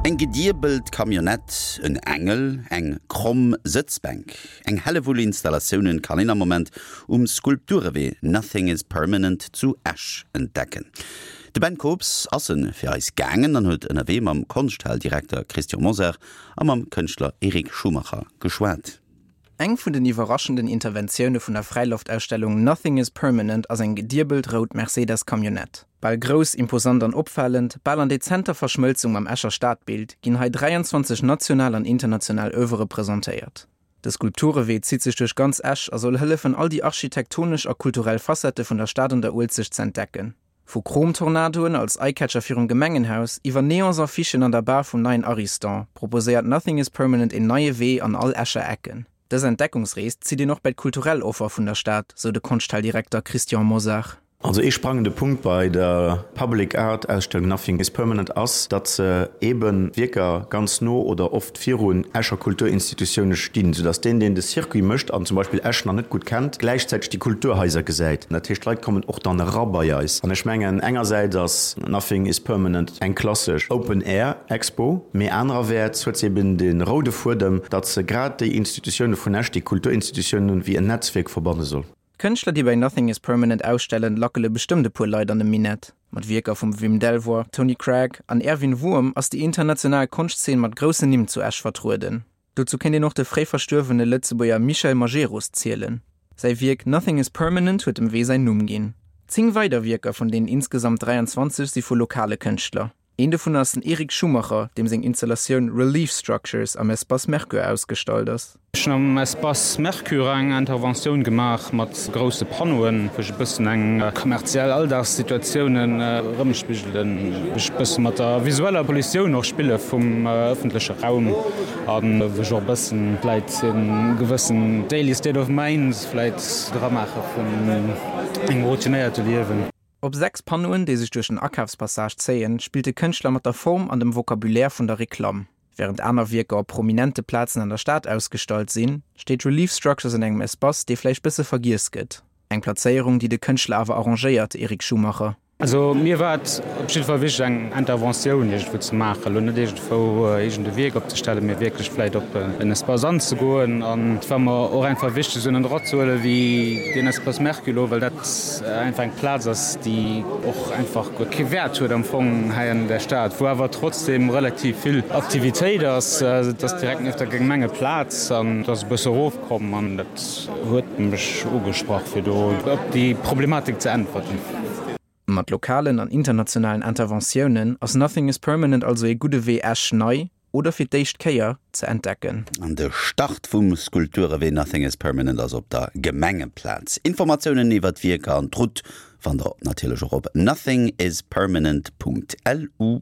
Eng gediebelt Camionnette, en Engel, eng kromm Sëtzbänk, eng Hellewull Installatiounen kann een am Moment um Skulpturewee Nothing is Permanent zu Esch entdecken. De Ben Kobs ass en fir eis gaangen an huet ënnerwee mam Konschthaldirekter Christian Mosar a mam Kënschtler Eric Schumacher geschwat. Eng vun den iwwerraschenden Interventioune vun der Fräiloftausstellung Nothing is Permanent ass eng gediebelt rout Mercedes Camionnette. Bal grouss, imposant an opfalend, bal an dezenter Verschmëlzung mam Escher Stadbild, ginn hei 23 national an international Oeuvre presentéiert. De Skulpturewee zitt sech duerch ganz Esch a soll hëllefen all déi architektonesch a kulturell Facettë vun der Stad an der Uelzecht z'entdecken. Vu Chrom-Tornadoen als Eyecatcher virum Gemengenhaus, iwwer Neons-Affichen an der Bar vum neien Ariston, proposéiert Nothing is Permanent een neie Wee an all Escher Ecken. Dës Entdeckungsrees zitt een och bäi d'kulturell Offer vun der Stad, sou de Konschthaldirekter Christian Mosar. Also ee sprangende Punkt bei der Public Art Ausstellung Nothing is Permanent ass, datt se eeben Wierker ganz no oder oft virun Escher Kulturinstitutioune stinn, soudatt deen, deen de Circuit mécht an zum Beispill Esch nach net gutt kennt, gläichzäiteg déi Kulturhaiser gesäit. Dat heescht, d'Leit kommen och dann era bei eis. An ech mengen, engersäits ass Nothing is Permanent eng klassesch Open-Air-Expo, mee anererwäerts huet se eben de roude Fuedem, datt se grad déi Institutioune vun Esch, déi Kulturinstitutiounen, wéi en Netzwierk verbanne soll. D'Kënschtler, déi bei Nothing is Permanent ausstellen, lackele bestëmmt e puer Leit an de Minett. Mat Wierker vum Wim Delvoye, Tony Cragg an Erwin Wurm ass déi international Konschtzeen mat groussen Nimm zu Esch vertrueden. Dozou kéint een och de fréi verstuerwene Lëtzebuerger Michel Majerus zielen. Säi Wierk Nothing is Permanent huet dem Wee säin Numm ginn. 10 weider Wierker vun deenen insgesamt 23 si vu lokale Kënschtler. Een dovun ass den Eric Schumacher, deem seng Installatioun Relief Structures am Espace Mercure ausgestallt ass. Ech hunn am Espace Mercure eng Interventioun gemaach mat grousse Panneauen, wou ech e bëssen eng kommerziell Alldagssituatiounen erëmspigelen, wou ech e bësse mat der visueller Pollutioun och spille vum ëffentleche Raum a wou ech och e bëssen vläit e gewëssen daily state of mind vläit dramaache vun engem routinéierte Liewen. Op 6 Panneauen, déi sech duerch den Akafspassage zéien, spillt de Kënschtler mat der Form an dem Vocabulaire vun der Reklamm. Wärend aner Wierker op prominente Plazen an der Stad ausgestallt sinn, steet Relief Structures an engem Espace, dee vläicht bësse vergiess gëtt. Eng Plazéierung, déi de Kënschtler awer arrangéiert, Eric Schumacher. Also mir war et op jidde Fall wichteg eng Interventioun iergendwou ze maachen, elo net iergendwou iergend e Wierk opzestellen, mee wierklech vläicht op en Espace anzegoen. An et war mer och einfach wichteg esou en Endroit ze huelen wéi deen Espace Mercure elo, well dat einfach eng Plaz ass, déi och einfach guer kee Wäert huet am Fong hei an der Stad, wou awer trotzdem relativ vill Aktivitéit ass. Et ass direkt nieft der Gemengeplaz an et ass e bësse erofkomm an dat huet mech ugesprach, fir do op déi Problematik ze äntwerten. Mat lokalen an internationalen Interventiounen ass Nothing is Permanent also ee gudde Wee Esch nei, oder fir d'éischt Kéier, ze entdecken. An de Start vum Skulpturewee Nothing is Permanent ass op der Gemengeplaz. Informatiounen iwwer d'Wierker an d'Route fannt der natierlech och op nothingispermanent.lu.